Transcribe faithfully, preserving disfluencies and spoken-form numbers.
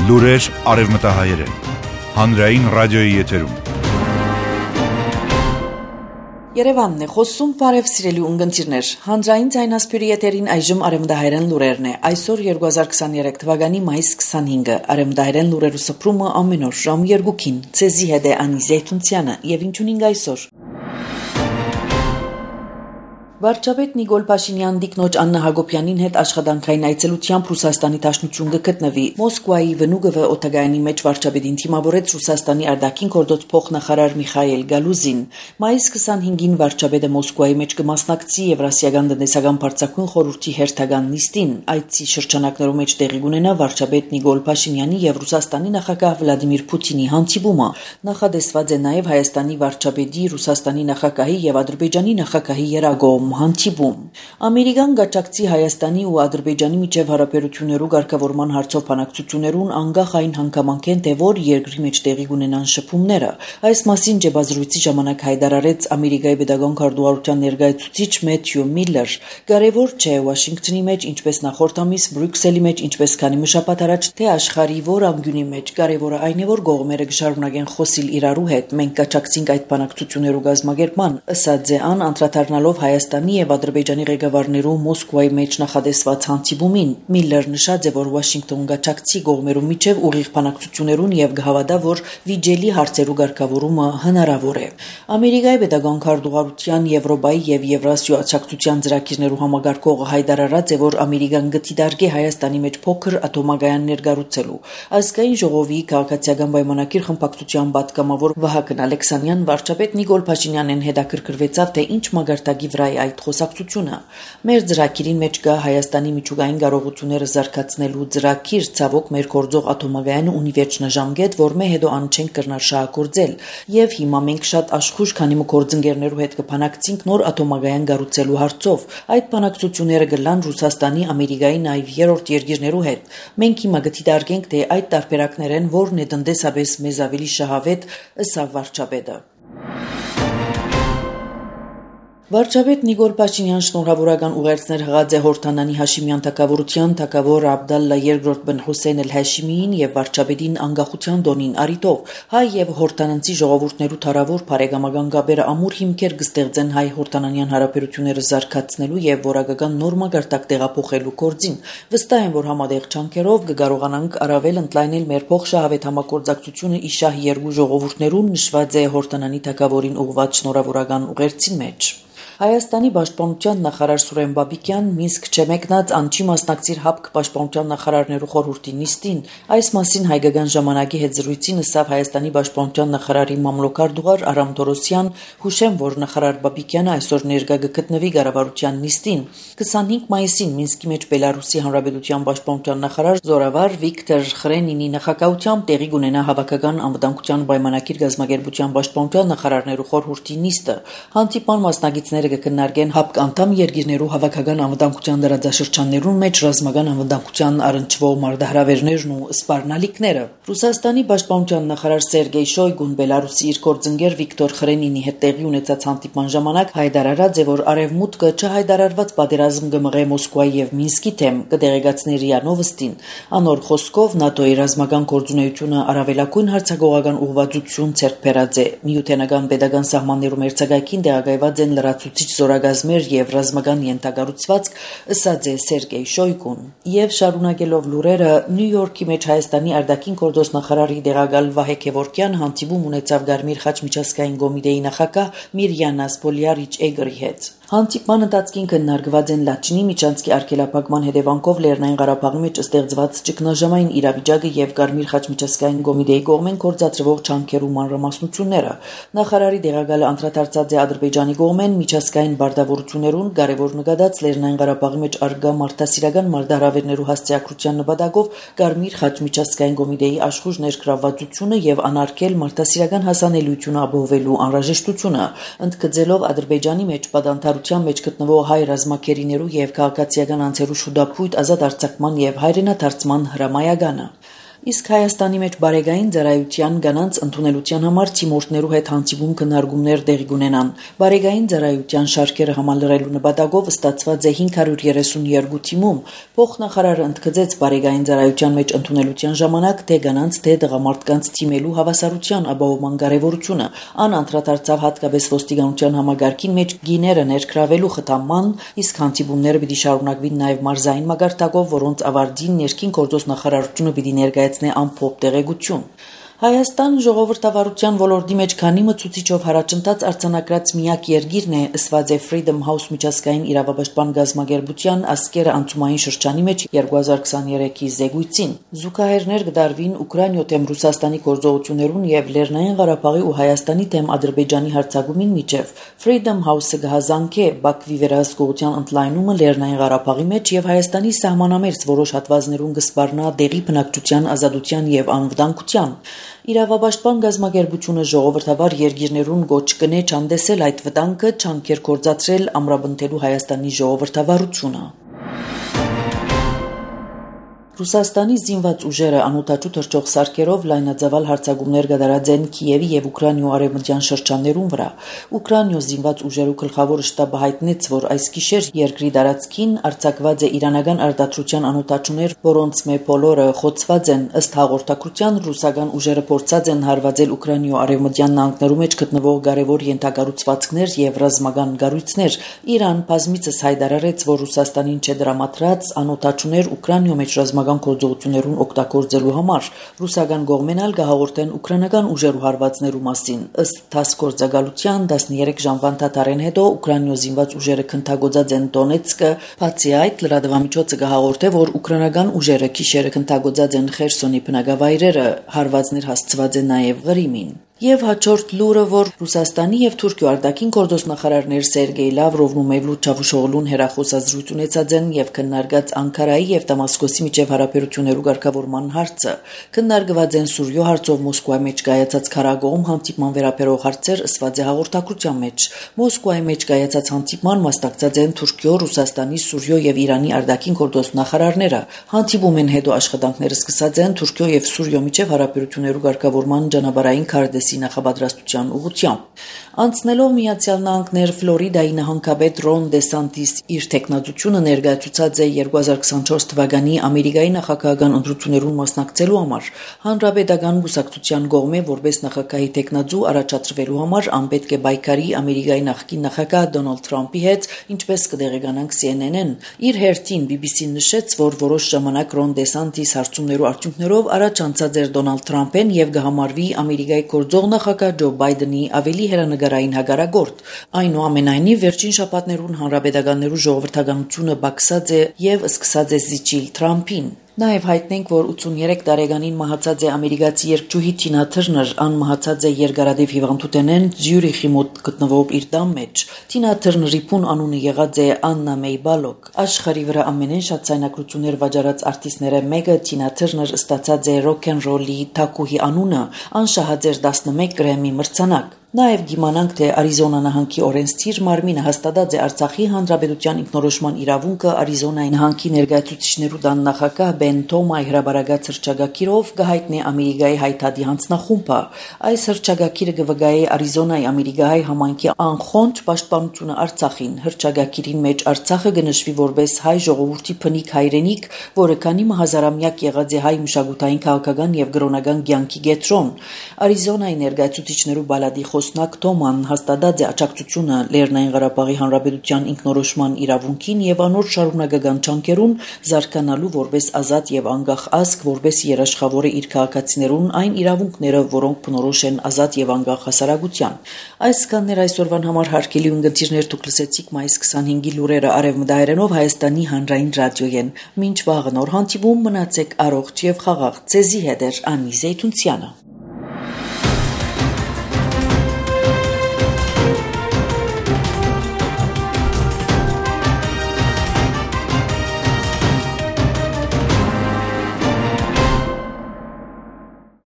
Լուրեր արևմտահայերեն, հանրային ռադիոյի եթերում։ Երևանն է խոսում, բարև սիրելի ունգընտիրներ, հանրային ձայնասպյուրի եթերին այժմ արևմտահայերեն լուրերն է, այսօր երկու հազար քսաներեք թվականի մայիս քսանհինգը, արևմտահայերեն լուրերու սփռումը ամեն օր ժամ երկուքին, ցեզի հետ է Անի Զեյթունցյանը եւ ինչունինգ այսօր։ Վարչապետ Նիկոլ Փաշինյան դիկնոջ Աննա Հակոբյանին հետ աշխատանքային այցելությամբ Ռուսաստանի Դաշնություն կգտնվի։ Մոսկվայի Վնուգովը օտագայանի մեջ վարչապետին թիմավորեց Ռուսաստանի արտաքին գործոց փոխնախարար Միխայել Գալուզին։ Մայիս քսանհինգին վարչապետը Մոսկվայի մեջ կմասնակցի Եվրասիական տնտեսական բարձրակույն խորհրդի հերթական նիստին։ Այցի շրջանակներում մեջ տեղի կունենա վարչապետ Նիկոլ Փաշինյանի եւ Ռուսաստանի նախագահ Վլադիմիր Պուտինի հանդիպումը։ Նախադեсված է նաեւ Հայաստանի վարչապետի, Ռուսաստանի նախագահի եւ Ադրբեջանի նախագահի երագոմ հանդիպում։ Ամերիկան գաճակցի Հայաստանի ու Ադրբեջանի միջև հարաբերություններու ղեկավարման հարցով բանակցություններուն անգախ այն հանգամանքեն թե որ երկրի մեջ տեղի կունենան շփումները։ Այս մասին ջեբազրույցի ժամանակ հայտարարեց Ամերիկայի Պետական քարտուղարության ներկայացուցիչ Մեթյու Միլլեր։ Կարևոր չէ Վաշինգտոնի մեջ, ինչպես նախորդ ամիս Բրյուսելի մեջ, ինչպես քանի մի շաբաթ առաջ, թե աշխարհի որ անկյունի մեջ, կարևորը այն է որ կողմերը կշարունակեն խոսիլ իրարու հետ։ Մենք գաճակցենք այդ բանակցություններու գազմագերման, ըստ ձեան անդրադառնալով Հայաստանի եւ Ադրբեջանի ղեկավարներու Մոսկվայի մեջ նախադեсված հանդիպումին։ Միլլեր նշած է, որ Վաշինգտոն գաճակցի կողմերու միջև ուղիղ բանակցություններուն եւ գհավադա, որ վիճելի հարցերու ղեկավարումը հնարավոր է։ Ամերիկայի Պետական քարտուղարության Եվրոպայի եւ Եվրասիա աջակցության ծրագիրներու համագարկողը հայտարարած է, որ Ամերիկան գտիդարգե Հայաստանի մեջ փոքր ատոմագայան ներկառուցելու։ Ազգային ժողովի քաղաքացիական պայմանագիր խմբակցության պատգամավոր Վահագն Ալեքսանյան վարչապետ Նիկոլ Փաշինյանին հետաքրքրվեցավ, թե ինչ մագարտակի վրա է այդ խոսակցությունը։ Մեր ծրագիրին մեջ կա Հայաստանի միջուկային կարողությունները զարգացնելու ծրագիր, ցավոք մեր գործող ատոմագայանը ունի վերջնաժամկետ, որ մե հետո ան չենք կրնար շահագործել, եւ հիմա մենք շատ աշխուժ քանի մը գործընկերներու հետ կփանակցենք նոր ատոմագայան կառուցելու հարցով։ Այդ բանակցությունները կլան Ռուսաստանի, Ամերիկայի նաեւ երրորդ երկիրներու հետ։ Մենք հիմա գտիդարգենք, թե այդ տարբերակներեն որն է տնտեսապես մեզ ավելի շահավետ, ըստ վարչապետը։ Վարչապետ Նիկոլ Փաշինյան շնորհավորական ուղերձներ հղած է Հորդանանի Հաշիմյան թագավորության թագավոր Աբդալլա երկրորդ բն Հուսեյն Էլ-Հաշիմիին եւ վարչապետին անկախության տոնին առիթով հայ եւ հորդանանցի ժողովուրդներու թարավոր բարեկամական գաբերը ամուր հիմքեր կստեղծեն հայ-հորդանանյան հարաբերությունները զարգացնելու եւ որակական նոր մագարտակ տեղափոխելու գործին։ Վստահ եմ, որ համատեղ չանքերով կկարողանանք առավել ընդլայնել մեր փոխշահավետ համագործակցությունը իշահ երկու ժողովուրդներուն, նշված է Հորդանանի թագավորին ուղղված շնորհավորական ուղերձի մեջ։ Հայաստանի պաշտպանության նախարար Սուրեն Բաբիկյան Մինսկ չմեկնած անչի մասնակցիր հապկ պաշտպանության նախարարներու խորհրդի նիստին։ Այս մասին հայկական ժամանակի հետ զրույցին ըսավ Հայաստանի պաշտպանության նախարարի մամլոքարտուղար Արամ Թորոսյան, հուշեմ, որ նախարար Բաբիկյանը այսօր ներկա կգտնվի կառավարության նիստին։ քսանհինգ մայիսին Մինսկի մեջ Բելարուսի Հանրապետության պաշտպանության նախարար Զորավար Վիկտոր Խրենինի նախագահությամբ տեղի կունենա հավաքական անվտանգության պայմանագիր գազམ་ագերբության պաշտպանության նախարարներու խորհրդի նիստը։ Հանդիպան մասնակիցները կքննարկեն հապկ անդամ երկիրներու հավաքական անվտանգության դրադաշրջաններուն մեջ ռազմական անվտանգության առնչվող մարտահրավերներն ու սպառնալիքները։ Ռուսաստանի պաշտպանության նախարար Սերգեյ Շոյգուն Բելարուսի իր գործընկեր Վիկտոր Խրենինի հետ տեղի ունեցած հանդիպման ժամանակ հայտարարած է, որ արևմուտքը չհայտարարված պատերազմ կմղե Մոսկվայի եւ Մինսկի թեմ, կդեղեկացնի ՌԻԱ Նովոստին։ Անոր խոսքով ՆԱՏՕ-ի ռազմական գործունեությունը առավելագույն հարձակողական ուղղվածություն ցերկ բերած է։ Միութենական պետական սահմաններում մերձակայքին տեղակայված են լրացուցիչ զորագազմեր եւ ռազմական ենթակառուցվածք, ըսած է Սերգեյ Շոյգուն։ Եվ շարունակելով լուրերը, Նյու Յորքի մեջ Հայաստանի արտաքին գործոս նախարարի դեղակալ Վահե Քևորքյան հանդիպում ունեցավ Գարմիր խաչ միջազգային կոմիտեի նախագահ Միրյանա Սպոլյարիչ Էգրի հետ։ Հանդիպման ընթացքին քննարկված են Լաչինի միջանցքի արգելափակման հետևանքով Լեռնային Ղարաբաղի մեջ ստեղծված ճգնաժամային իրավիճակը եւ Գարմիր խաչ միջազգային կոմիտեի կողմեն կործածրվող չանքերու մանրամասնությունները։ Նախարարի դեղակալը անդրադարձած է Ադրբեջանի կողմեն միջազգային բարդավորություններուն կարևոր նկատած Լեռնային Ղարաբաղի մեջ արգա մարդասիրական մարտահրավերներու հասցեակրության նպատակով Գարմիր խաչ միջազգային կոմիտեի աշխուժ ներգրավվածությունը եւ անարգել մարդասիրական հասանելիությունը ապահովելու անհրաժեշտությունը, ընդգծելով Ադրբեջանի մեջ պատանդարության մեջ գտնվող հայ ռազմակերիներու եւ քաղաքացիական անձերու շուտապույտ ազատ արձակման եւ հայրենադարձման հրամայականը։ Իսկ Հայաստանի մեջ բարեգային ծառայության գանանց ընդունելության համար թիմորդներու հետ հանդիպում քննարկումներ տեղի կունենան։ Բարեգային ծառայության շարքերը համալրելու նպատակով ստացված է հինգ հարյուր երեսունյոթ թիմում։ Փոխնախարարը ընդգծեց բարեգային ծառայության մեջ ընդունելության ժամանակ թե գանանց թե տղամարդկանց թիմելու հավասարության ապահովման կարևորությունը։ Ան անդրադարձավ հատկապես ոստիկանության համագարքին մեջ գիները ներգրավելու խթանման, իսկ հանդիպումները պիտի շարունակվին նաև մարզային մագարտակով, որոնց ավարտին ներքին գործոս նախարարությունը պիտի ներկայացնի ամփոփ տեղեկություն։ Հայաստան ժողովրդավարության ոլորտի մեջ քանի մցուցիչով հարաճընթաց արձանագրած միակ երկիրն է, ըսված է Freedom House միջազգային իրավապաշտպան գազագերբության ասկերը անցումային շրջանի մեջ երկու հազար քսաներեքի զեկույցին։ Զուգահեռներ կդարվին Ուկրաինո դեմ Ռուսաստանի գործողություններուն եւ Լեռնային Ղարաբաղի ու Հայաստանի դեմ Ադրբեջանի հարձակումին միջև Freedom House-ը կհազանգե Բաքվի վերահսկողության ընդլայնումը Լեռնային Ղարաբաղի մեջ եւ Հայաստանի սահմանամերձ որոշ հատվածներուն կսպառնա դեղի բնակչության ազատության եւ անվտանգության։ Իրավապաշտպան գազագերբությունը ժողովրդավար երկիրներուն գոչ կնե չանդեսել այդ վտանգը, չանքեր կործացրել ամրապնդելու Հայաստանի ժողովրդավարությունը։ Ռուսաստանի զինված ուժերը անօդաչու թռչող սարքերով լայնածավալ հարձակումներ կատարած են Կիևի եւ Ուկրաինո արևմտյան շրջաններուն վրա։ Ուկրաինո զինված ուժերու գլխավոր շտաբը հայտնեց, որ այս գիշեր երկրի տարածքին արձակված է իրանական արտադրության անօդաչուներ, որոնց մե բոլորը խոցված են։ Ըստ հաղորդակցության ռուսական ուժերը փորձած են հարվածել Ուկրաինո արևմտյան նահանգներու մեջ գտնվող կարևոր ենթակառուցվածքներ եւ ռազմական կառույցներ։ Իրան բազմիցս հայտարարեց, որ Ռուսաստանին չդրամատրած անօդաչուներ Ուկրաինո մեջ ռազմական գործողություններուն օգտագործելու համար ռուսական կողմեն ալ գահաղորդեն ուկրաինական ուժերու հարվածներու մասին։ Ըստ ՏԱՍՍ գործակալության տասներեք ժամվա ընդհատարեն հետո Ուկրաինո զինված ուժերը քննագործած են Դոնեցկը, բացի այդ լրատվամիջոցը գահաղորդե, որ ուկրաինական ուժերը գիշերը քննագործած են Խերսոնի բնակավայրերը, հարվածներ հասցված են նաև Ղրիմին։ Եվ հաջորդ լուրը, որ Ռուսաստանի եւ Թուրքիո արտաքին գործոս նախարարներ Սերգեյ Լավրովն ու Մևլութ Չավուշօղլուն հերախոսազրույց ունեցած են եւ քննարկած Անկարայի եւ Դամասկոսի միջև հարաբերություններու ղեկավարման հարցը։ Քննարկված են Սուրիո հարցով Մոսկվայի մեջ կայացած քարագոհում հանդիպման վերաբերող հարցեր, ըսված է հաղորդակցության մեջ։ Մոսկվայի մեջ կայացած հանդիպման մասնակցած են Թուրքիո, Ռուսաստանի, Սուրիո եւ Իրանի արտաքին գործոս նախարարները։ Հանդիպումեն հետո աշխատանքները սկսած են Թուրքիո եւ Սուրիո միջև հարաբերություններու ղեկավարման ճանապարհային քարտեզի նախաբադրաստության ուղղությամբ։ Անցնելով Միացյալ Նահանգներ Ֆլորիդայի նահանգապետ Ռոն Դեսանտիս իր տեխնատությունը ներկայացուցած է երկու հազար քսանչորս թվականի Ամերիկայի նախագահական ընտրություններուն մասնակցելու համար։ Հանրապետական կուսակցության կողմէ որպես նախագահի տեխնատու առաջադրվելու համար անպետք է պայքարի Ամերիկայի նախկին նախագահ Դոնալդ Թրամփի հետ, ինչպես կդեղեկանանք C N N-ն։ Իր հերթին B B C-ն նշեց, որ որոշ ժամանակ Ռոն Դեսանտիս հարցումներու արդյունքներով առաջ անցած էր Դոնալդ Թրամփեն եւ կհամարվի Ամերիկայի գործող նախագահ Ջո Բայդենի ավելի հեռանկարային հագարագործ։ Այնուամենայնիվ վերջին շաբաթներուն հանրապետականներու ժողովրդականությունը բացած է եւ սկսած է զիջիլ Թրամփին։ Նաև հայտնենք, որ ութսուններեք տարեկանին մահացած է ամերիկացի երգչուհի Թինա Թըրներ, ան մահացած է երկարադեպ հիվանդութենեն Զյուրիխի մոտ գտնվող իր տան մեջ։ Թինա Թըրների փուն անունը եղած է Աննա Մեյ Բալոկ։ Աշխարհի վրա ամենեն շատ ցայնակություններ վաճառած արտիստները մեկը Թինա Թըրներ ստացած է ռոք էն ռոլի թակուհի անունը, ան շահած էր տասնմեկ գրեմի մրցանակ։ Նաև գիմանանք, թե Արիզոնա նահանգի օրենսդիր մարմինը հաստատած է Արցախի հանրապետության ինքնորոշման իրավունքը Արիզոնայի նահանգի ներկայացուցիչներու տան նախագահ Բեն Թոմայի հրաբարագած հռչակագիրով կհայտնի Ամերիկայի հայտարարի հանձնախումբը։ Այս հռչակագիրը կվկայի Արիզոնայի ամերիկահայ համայնքի անխոնջ պաշտպանությունը Արցախին։ Հռչակագիրին մեջ Արցախը կնշվի որպես հայ ժողովրդի բնիկ հայրենիք, որը քանի հազարամյակ եղած է հայ մշակութային, քաղաքական եւ կրոնական կյանքի կենտրոն։ Արիզոնայի ներկայացուցիչներու բալադի Խոսնակ Թոման հաստատած է աջակցությունը Լեռնային Ղարաբաղի Հանրապետության ինքնորոշման իրավունքին եւ անոր շարունակական չանքերուն զարգանալու որպես ազատ եւ անկախ ազգ, որպես երաշխավորը իր քաղաքացիներուն այն իրավունքները, որոնք բնորոշ են ազատ եւ անկախ հասարակության։ Այսքաններ այսօրվան համար հարգելի ունգընտիրներ, դուք լսեցիք մայիս քսանհինգի լուրերը արևմտահայերենով Հայաստանի հանրային ռադիոյեն։ Մինչ վաղը նոր հանդիպում, մնացեք առողջ եւ խաղաղ։ Ձեզի հետ է Անի Զեյթունցյանը։